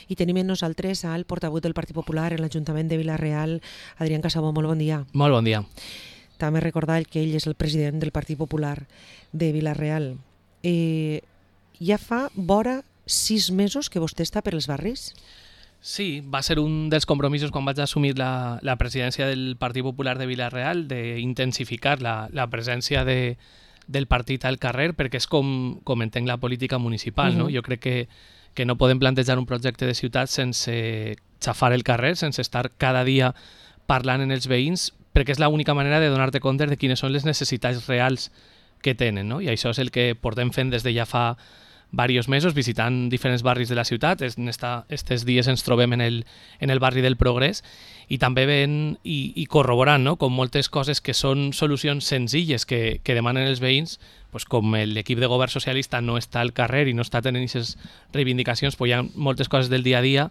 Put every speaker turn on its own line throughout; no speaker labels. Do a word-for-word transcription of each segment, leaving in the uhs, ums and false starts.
I tenim amb nosaltres al portaveu del Partit Popular en l'Ajuntament de Vila-real, Adrián Casabó. Molt bon dia.
Molt bon dia.
També recordar que ell és el president del Partit Popular de Vila-real. Eh, ja fa vora sis mesos que vostè està per els barris?
Sí, va ser un dels compromisos quan vaig assumir la, la presidència del Partit Popular de Vila-real, d'intensificar la, la presència de, del partit al carrer, perquè és com, com entenc la política municipal. Uh-huh. No? Jo crec que, que no podem plantejar un projecte de ciutat sense xafar el carrer, sense estar cada dia parlant en els veïns, perquè és l'única manera de donar-te compte de quines són les necessitats reals que tenen. No? I això és el que portem fent des de ja fa diversos mesos, visitant diferents barris de la ciutat. En aquests dies ens trobem en el, en el barri del Progrés i també veient i, i corroborant, no? Com moltes coses que són solucions senzilles que, que demanen els veïns, pues com l'equip de govern socialista no està al carrer i no està tenint aquestes reivindicacions, pues hi ha moltes coses del dia a dia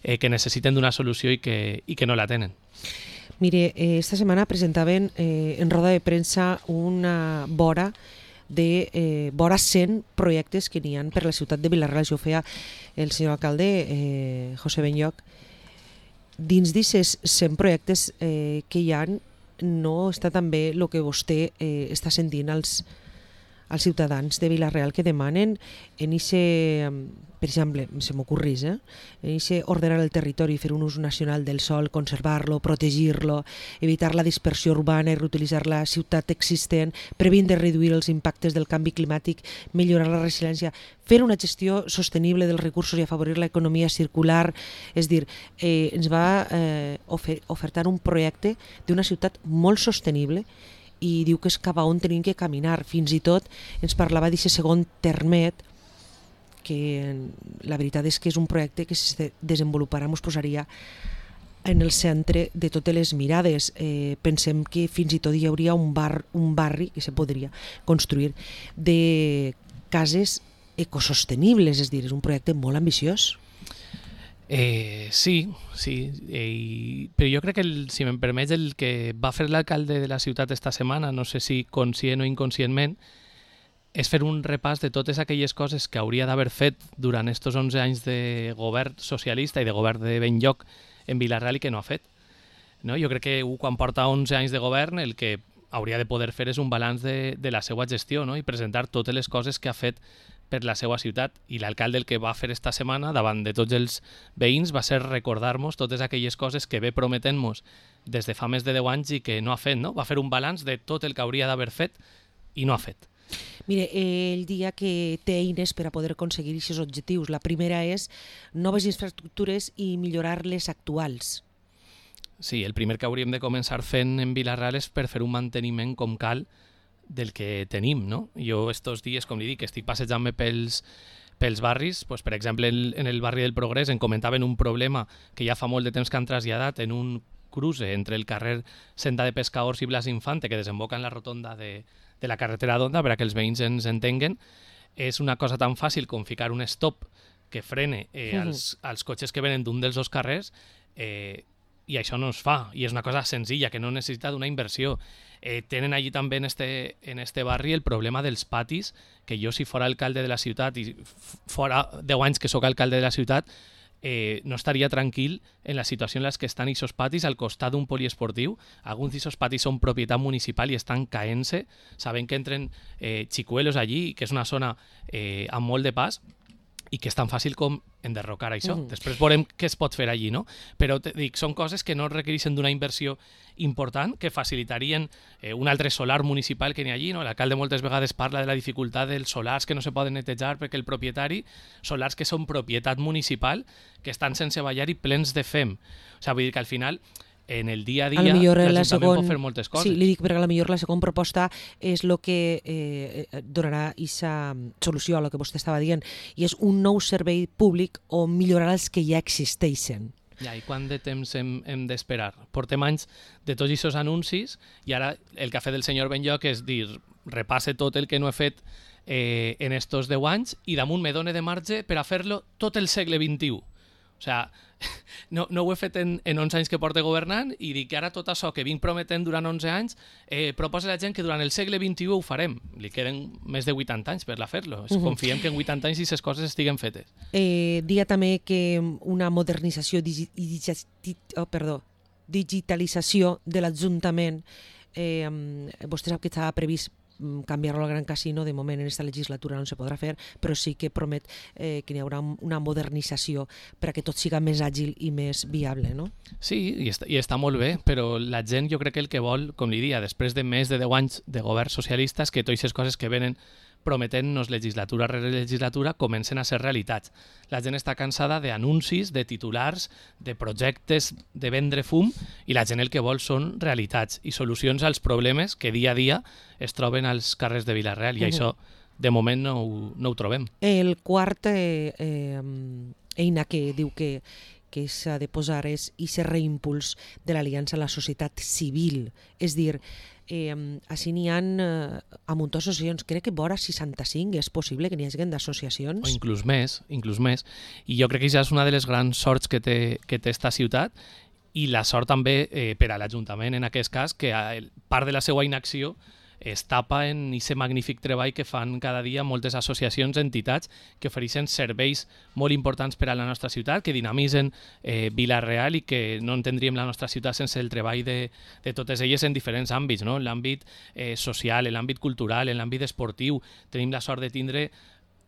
eh, que necessiten d'una solució i que, i que no la tenen.
Mire, eh, esta setmana presentaven eh, en roda de premsa una vora de eh, vora cent projectes que n'hi ha per la ciutat de Vila-real. Això ho feia el senyor alcalde eh, José Benlloch. Dins d'aquests cent projectes eh, que hi ha no està també el que vostè eh, està sentint als, als ciutadans de Vila-real que demanen en ese, per exemple, se m'ocorrís, eh? en ese ordenar el territori, fer un ús nacional del sòl, conservar-lo, protegir-lo, evitar la dispersió urbana i reutilitzar la ciutat existent, previndre reduir els impactes del canvi climàtic, millorar la resiliència, fer una gestió sostenible dels recursos i afavorir l'economia circular. És dir, eh, ens va eh, ofer ofertar un projecte d'una ciutat molt sostenible i diu que és cap a on tenim que caminar. Fins i tot ens parlava d'aquest segon termet, que la veritat és que és un projecte que si es desenvoluparà ens posaria en el centre de totes les mirades. Eh, pensem que fins i tot hi hauria un, bar, un barri que se podria construir de cases ecosostenibles, és dir, és un projecte molt ambiciós.
Eh, sí, sí, eh, però jo crec que, el, si me'n permets, el que va fer l'alcalde de la ciutat esta setmana, no sé si conscient o inconscientment, és fer un repàs de totes aquelles coses que hauria d'haver fet durant estos onze anys de govern socialista i de govern de Benlloch en Vila-real i que no ha fet. No? Jo crec que quan porta onze anys de govern el que hauria de poder fer és un balanç de, de la seva gestió, no? I presentar totes les coses que ha fet per la seva ciutat, i l'alcalde el que va fer esta setmana davant de tots els veïns va ser recordar-nos totes aquelles coses que ve prometent-nos des de fa més de deu anys i que no ha fet, no? Va fer un balanç de tot el que hauria d'haver fet i no ha fet.
Mire, ell dia que té eines per a poder aconseguir aquests objectius. La primera és noves infraestructures i millorar les actuals.
Sí, el primer que hauríem de començar fent en Vila-real és per fer un manteniment com cal del que tenim, no? Jo estos dies, com li dic, estic passejant-me pels, pels barris, pues, per exemple, en el barri del Progrés em comentaven un problema que ja fa molt de temps que han traslladat en un cruce entre el carrer Senda de Pescadors i Blas Infante, que desemboca en la rotonda de, de la carretera d'Onda, per a que els veïns ens entenguen. És una cosa tan fàcil com ficar un stop que frene eh, uh-huh. als, als cotxes que venen d'un dels dos carrers, eh, i això no es fa, i és una cosa senzilla que no necessita d'una inversió. Eh, tenen allí també en este, en este barri el problema dels patis, que jo si fora alcalde de la ciutat i fora deu anys que sóc alcalde de la ciutat, eh, no estaria tranquil en la situació en la que estan aquests patis al costat d'un poliesportiu. Alguns d'aquests patis són propietat municipal i estan caent-se, saben que entren eh, xicuelos allí, que és una zona eh, amb molt de pas, i que és tan fàcil com enderrocar això. Mm. Després veurem què es pot fer allí, no? Però te dic, són coses que no requereixen d'una inversió important, que facilitarien eh, un altre solar municipal que n'hi ha allí, no? L'alcalde moltes vegades parla de la dificultat dels solars que no se poden netejar perquè el propietari, solars que són propietat municipal, que estan sense ballar i plens de fem. O sigui, vull dir que al final en el dia a dia l'Ajuntament
segon...
pot fer moltes coses.
Sí, li dic perquè a la millor la segona proposta és el que eh, donarà aquesta solució a el que vostè estava dient, i és un nou servei públic o millorar els que ja existeixen.
Ja, i quant de temps hem, hem d'esperar? Portem anys de tots aquests anuncis i ara el que ha fet el senyor Benlloch és dir, repasse tot el que no he fet eh, en estos deu anys i damunt me done de marge per a fer-lo tot el segle vint-i-u. O sigui, no, no ho he fet en, en onze anys que porto governant i dic que ara tot això que vinc prometent durant onze anys eh, proposa a la gent que durant el segle vint-i-u ho farem. Li queden més de vuitanta anys per a fer-lo. Uh-huh. Confiem que en vuitanta anys aquestes coses estiguen fetes.
Eh, dia també que una modernització digi, digi, oh, perdó, digitalització de l'Ajuntament, eh, vostè sap que estava previst canviar-lo al Gran Casino, de moment en aquesta legislatura no se podrà fer, però sí que promet eh, que hi haurà una modernització perquè tot siga més àgil i més viable, no?
Sí, i està, i està molt bé, però la gent jo crec que el que vol, com li dia, després de més de deu anys de govern socialista, és que totes aquestes coses que venen prometent-nos legislatura rere legislatura comencen a ser realitats. La gent està cansada d'anuncis, de titulars, de projectes de vendre fum, i la gent el que vol són realitats i solucions als problemes que dia a dia es troben als carrers de Vila-real, i uh-huh. això de moment no ho, no ho trobem.
El quart eh, eh, eina que diu que que s'ha de posar és aquest reimpuls de l'aliança a la societat civil, és dir, Eh, així n'hi ha eh, a muntó associacions, crec que vora seixanta-cinc és possible que n'hi hagi d'associacions.
O inclús més, inclús més. I jo crec que això és una de les grans sorts que té, que té esta ciutat, i la sort també eh, per a l'Ajuntament en aquest cas, que el, part de la seva inacció es tapa en aquest magnífic treball que fan cada dia moltes associacions, entitats que ofereixen serveis molt importants per a la nostra ciutat, que dinamitzen eh, Vila-real i que no entendríem la nostra ciutat sense el treball de, de totes elles en diferents àmbits, no? En l'àmbit eh, social, en l'àmbit cultural, en l'àmbit esportiu. Tenim la sort de tindre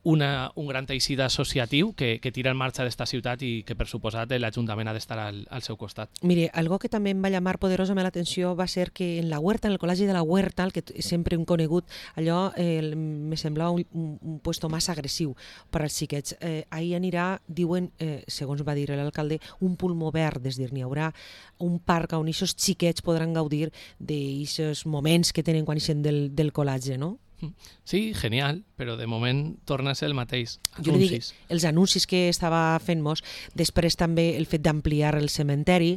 Una, un gran teixit associatiu que, que tira en marxa d'esta ciutat i que, per suposat, l'Ajuntament ha d'estar al, al seu costat.
Mire, algo que també em va llamar poderosament l'atenció va ser que en la Huerta, en el Col·legi de la Huerta, el que sempre hem conegut, allò eh, me semblava un, un, un puesto massa agressiu per als xiquets. Eh, ahir anirà, diuen, eh, segons va dir l'alcalde, un pulmó verd, és dir, n'hi haurà un parc on aquests xiquets podran gaudir d'aquests moments que tenen quan ixen del, del col·legi, no?
Sí, genial, però de moment torna a ser el mateix. Anuncis.
Jo li dic, els anuncis que estava fent-nos, després també el fet d'ampliar el cementeri,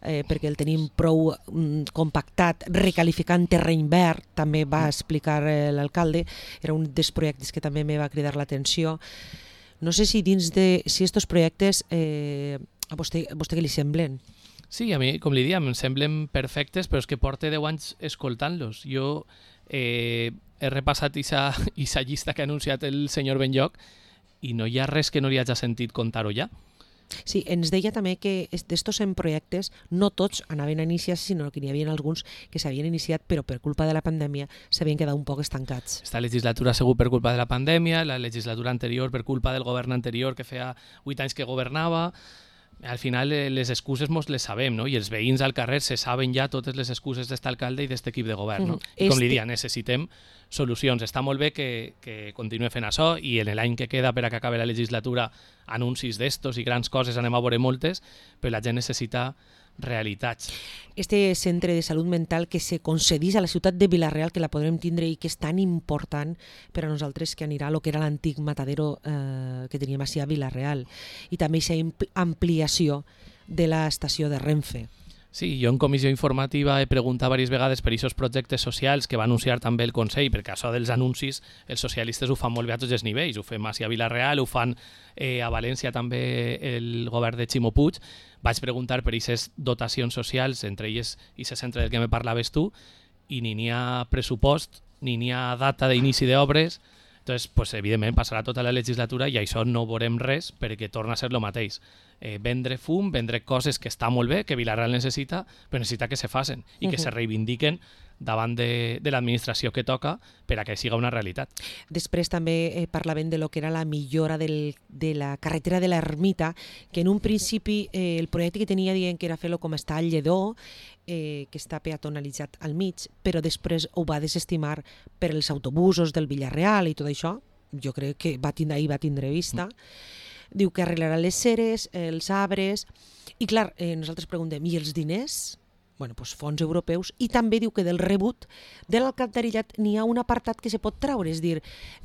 eh, perquè el tenim prou mm, compactat, recalificant terreny verd, també va explicar eh, l'alcalde, era un dels projectes que també me va cridar l'atenció. No sé si dins de si estos projectes eh, a vostè, a vostè què li semblen?
Sí, a mi, com li diem, em semblen perfectes, però és que porto deu anys escoltant-los. Jo eh, he repassat aquesta llista que ha anunciat el senyor Benlloc i no hi ha res que no li hagi sentit contar-ho ja.
Sí, ens deia també que d'estos cent projectes no tots anaven a iniciar-se, sinó que n'hi havia alguns que s'havien iniciat però per culpa de la pandèmia s'havien quedat un poc estancats.
Esta legislatura segur per culpa de la pandèmia, la legislatura anterior per culpa del govern anterior que feia vuit anys que governava. Al final les excuses mos les sabem, no? I els veïns al carrer se saben ja totes les excuses d'este alcalde i d'este equip de govern, no? Mm. I com este... li dia, necessitem solucions. Està molt bé que, que continuï fent això i en l'any que queda per a que acabi la legislatura anuncis d'estos i grans coses anem a veure moltes, però la gent necessita realitats.
Este centre de salut mental que se concedís a la ciutat de Vila-real, que la podrem tindre i que és tan important per a nosaltres, que anirà a lo que era l'antic matadero eh, que teníem així a Vila-real, i també aquesta ampliació de l'estació de Renfe.
Sí, jo en comissió informativa he preguntat diverses vegades per aquests projectes socials que va anunciar també el Consell, perquè això dels anuncis els socialistes ho fan molt bé a tots els nivells, ho fem a Vila-real, ho fan eh, a València també el govern de Ximo Puig. Vaig preguntar per aquestes dotacions socials, entre elles aquest centre del que me parlaves tu, i ni n'hi ha pressupost, ni n'hi ha data d'inici d'obres. Entonces, pues, evidentment, passarà tota la legislatura i això no veurem res perquè torna a ser el mateix. Eh, vendre fum, vendre coses que està molt bé, que Vila-real necessita, però necessita que se facin i que uh-huh. se reivindiquen davant de, de l'administració que toca per a que siga una realitat.
Després també eh, parlaven de lo que era la millora del, de la carretera de l'Ermita, que en un principi eh, el projecte que tenia dient que era fer-lo com està al Lledó, eh, que està peatonalitzat al mig, però després ho va desestimar per els autobusos del Vila-real i tot això. Jo crec que va tindre, ahir va tindre vista. Mm. Diu que arreglarà les ceres, els arbres, i clar, eh, nosaltres preguntem, i els diners? Bueno, doncs fons europeus, i també diu que del rebut de l'alcantarillat n'hi ha un apartat que se pot traure, és dir,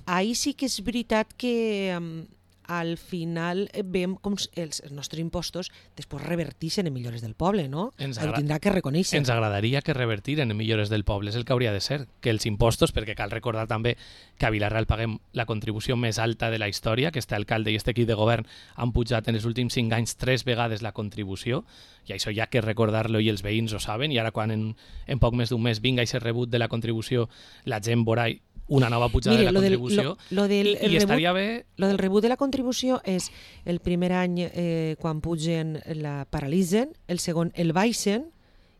ahir sí que és veritat que um, al final veiem com els nostres impostos després revertixen en millores del poble, no?
Ens
Ho
agra-
tindrà que reconèixer.
Ens agradaria que revertiren en millores del poble, és el que hauria de ser, que els impostos, perquè cal recordar també que a Vila-real paguem la contribució més alta de la història, que este alcalde i este equip de govern han pujat en els últims cinc anys tres vegades la contribució, i això hi ha que recordar-lo i els veïns ho saben, i ara quan en, en poc més d'un mes vinga i ser rebut de la contribució, la gent veurà una nova pujada
Mire,
de la
lo del-
contribució,
lo- lo del
i, i
rebut-
estaria bé.
Lo del rebut de la contribució és el primer any eh, quan pugen la paralitzen, el segon el baixen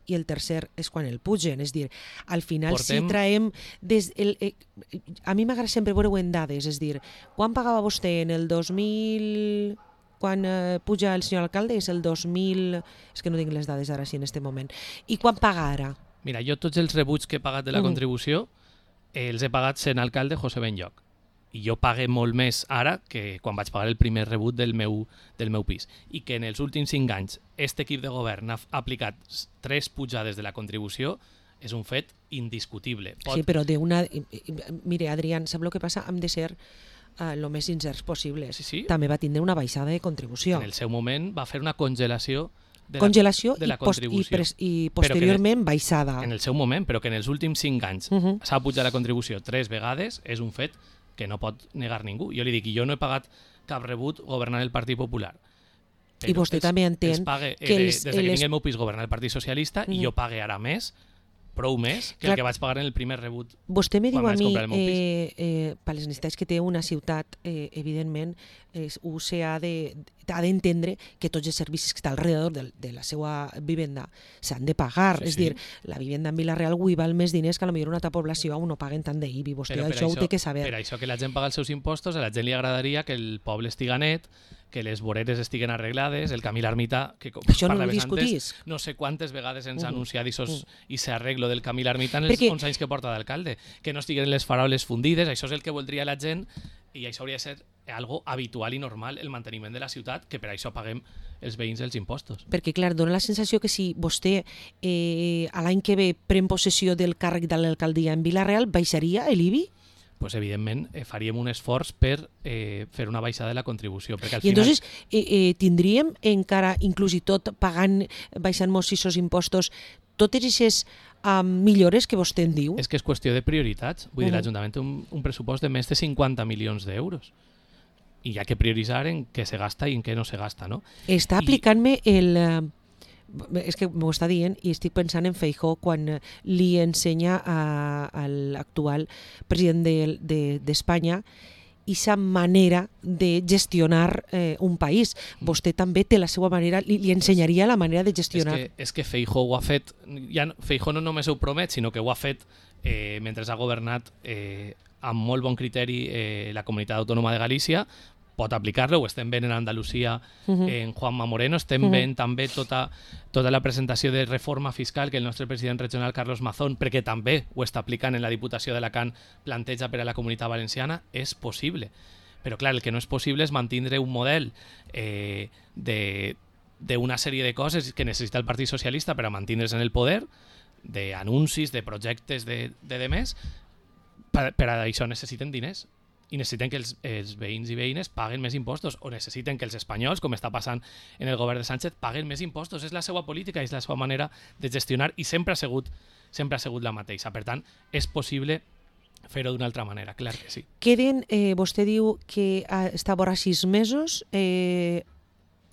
i el tercer és quan el pugen. És dir, al final
Portem-
si traiem... Des el, eh, a mi m'agrada sempre veure-ho en dades, és dir, quan pagava vostè en el dos mil... quan eh, puja el senyor alcalde és el dos mil... És que no tinc les dades ara sí en este moment. I quan paga ara?
Mira, jo tots els rebuts que he pagat de la
Mhm.
contribució eh, els he pagat sent alcalde José Benlloc. I jo pague molt més ara que quan vaig pagar el primer rebut del meu, del meu pis. I que en els últims cinc anys este equip de govern ha f- ha aplicat s- tres pujades de la contribució és un fet indiscutible. Pot,
Sí, però d'una... Mire, Adrián, sap el que passa? Hem de ser el uh, més sincers possibles.
Sí, sí.
També va tindre una baixada de contribució.
En el seu moment va fer una congelació de
Congelació
la, de la
i, post, i,
contribució.
pres, i
Però que
posteriorment baixada.
En el seu moment, però que en els últims cinc anys
Uh -huh.
s'ha pujat la contribució tres vegades, és un fet que no pot negar ningú. Jo li dic, jo no he pagat cap rebut governant el Partit Popular.
I vostè també entén
els pague,
que
eh,
els-
des de que
les-
tinc el meu pis governar el Partit Socialista
Mhm.
i jo pague ara més, prou més, que
Clar.
el que vaig pagar en el primer rebut.
Vostè me
quan
diu a
vaig
mi,
comprar el meu pis.
eh, eh, per les necessitats que té una ciutat, eh, evidentment, eh, U C ha de ha d'entendre que tots els servicis que està alrededor de, de la seva vivenda s'han de pagar.
Sí,
és
sí.
dir, la vivenda en Vila-real avui val més diners que a lo millor una altra població on no paguen tant d'I B I. Vostè
Però per
això, ho té que saber.
Per això que la gent paga els seus impostos, a la gent li agradaria que el poble estiga net, que les voreres estiguen arreglades, el camí l'ermità, que com
Això no ho
parlaves
discutís.
antes, no sé quantes vegades ens ha
Mhm.
anunciat isos,
Mhm.
i s'arreglo del camí l'ermità en els
Perquè-
onze anys que porta d'alcalde, que no estiguen les faroles fundides, això és el que voldria la gent, i això hauria de ser algo habitual i normal, el manteniment de la ciutat, que per això paguem els veïns els impostos.
Perquè, clar, dona la sensació que si vostè eh, a l'any que ve pren possessió del càrrec de l'alcaldia en Vila-real, baixaria l'I B I?
Pues evidentment eh, faríem un esforç per eh, fer una baixada de la contribució, perquè al
I
final...
entonces eh, eh, tindríem encara, inclús i tot, pagant, baixant-nos aquests impostos, totes aquestes um, millores que vostè en diu?
És que és qüestió de prioritats. Vull dir,
Mhm.
l'Ajuntament té un, un pressupost de més de cinquanta milions d'euros. I hi ha que prioritzar en què se gasta i en què no se gasta, no?
Està
I-
aplicant-me el... eh, és que m'ho està dient i estic pensant en Feijóo quan eh, li ensenya a, a l'actual president de- de- d'Espanya aquesta manera de gestionar eh, un país. Vostè també té la seva manera, li, li ensenyaria la manera de
És
gestionar.
que, és que Feijóo ho ha fet... Ja, no- Feijóo no només ho promet, sinó que ho ha fet eh, mentre ha governat eh, amb molt bon criteri eh, la Comunitat Autònoma de Galícia. Pot aplicar-lo, ho estem veient en Andalusia,
Mhm.
en Juanma Moreno, estem
Mhm.
veient també tota, tota la presentació de reforma fiscal que el nostre president regional Carlos Mazón, perquè també ho està aplicant en la Diputació d'Alacant, planteja per a la Comunitat Valenciana, és possible. Però clar, el que no és possible és mantindre un model eh, de d'una sèrie de coses que necessita el Partit Socialista per a mantindre's en el poder, d'anuncis, de projectes, de, de demés. Per, per a això necessiten diners i necessiten que els, els veïns i veïnes paguen més impostos, o necessiten que els espanyols, com està passant en el govern de Sánchez, paguen més impostos. És la seva política, és la seva manera de gestionar, i sempre ha sigut, sempre ha sigut la mateixa. Per tant, és possible fer-ho d'una altra manera, clar que sí.
Queden, eh, vostè diu que ah, està vora sis mesos. Eh,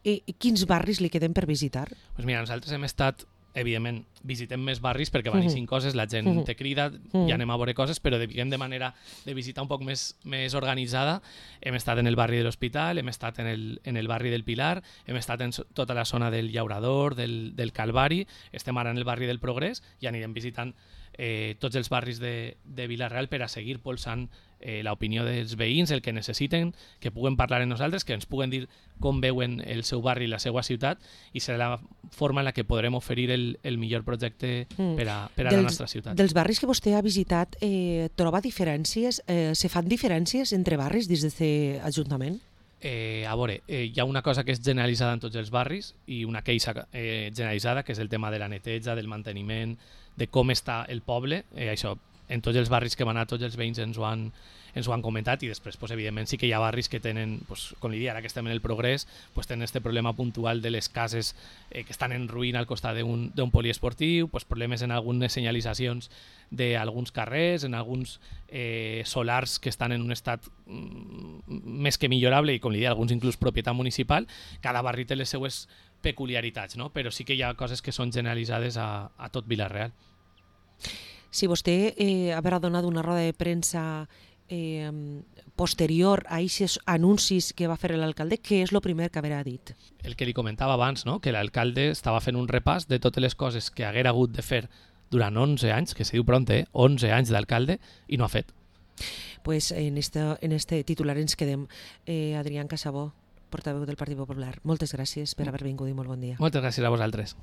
eh, quins barris li queden per visitar?
Pues mira, nosaltres hem estat, evidentment, visitem més barris perquè van
Mhm.
eixint coses, la gent
Mhm.
te crida,
Mhm.
i anem a veure coses, però diguem de manera de visitar un poc més, més organitzada. Hem estat en el barri de l'Hospital, hem estat en el, en el barri del Pilar, hem estat en so- tota la zona del Llaurador, del, del Calvari, estem ara en el barri del Progrés i anirem visitant eh, tots els barris de, de Vila-real per a seguir polsant eh, l'opinió dels veïns, el que necessiten, que puguen parlar amb nosaltres, que ens puguen dir com veuen el seu barri i la seva ciutat, i serà la forma en la que podrem oferir el, el millor projecte
Mm.
per a, per a la nostra ciutat.
Dels barris que vostè ha visitat, eh, troba diferències? Eh, se fan diferències entre barris dins d'aquest Ajuntament?
Eh, a veure, eh, hi ha una cosa que és generalitzada en tots els barris i una queixa eh, generalitzada, que és el tema de la neteja, del manteniment, de com està el poble. Eh, això en tots els barris que van anar, tots els veïns ens ho han, ens ho han comentat, i després, pues, evidentment, sí que hi ha barris que tenen, pues, com li dic, ara que estem en el Progrés, pues, tenen este problema puntual de les cases eh, que estan en ruïna al costat d'un poliesportiu, pues, problemes en algunes senyalitzacions d'alguns carrers, en alguns eh, solars que estan en un estat mm, més que millorable, i com li dic, alguns inclús propietat municipal. Cada barri té les seues peculiaritats, no? Però sí que hi ha coses que són generalitzades a, a tot Vila-real.
Si vostè eh, haurà donat una roda de premsa eh, posterior a aquests anuncis que va fer l'alcalde, què és el primer que haurà dit?
El que li comentava abans, no? Que l'alcalde estava fent un repàs de totes les coses que haguera hagut de fer durant onze anys, que se diu pront, eh? onze anys d'alcalde, i no ha fet.
Pues en este, en este titular ens quedem. Eh, Adrián Casabó, portaveu del Partit Popular, moltes gràcies per haver vingut i molt bon dia.
Moltes gràcies a vosaltres.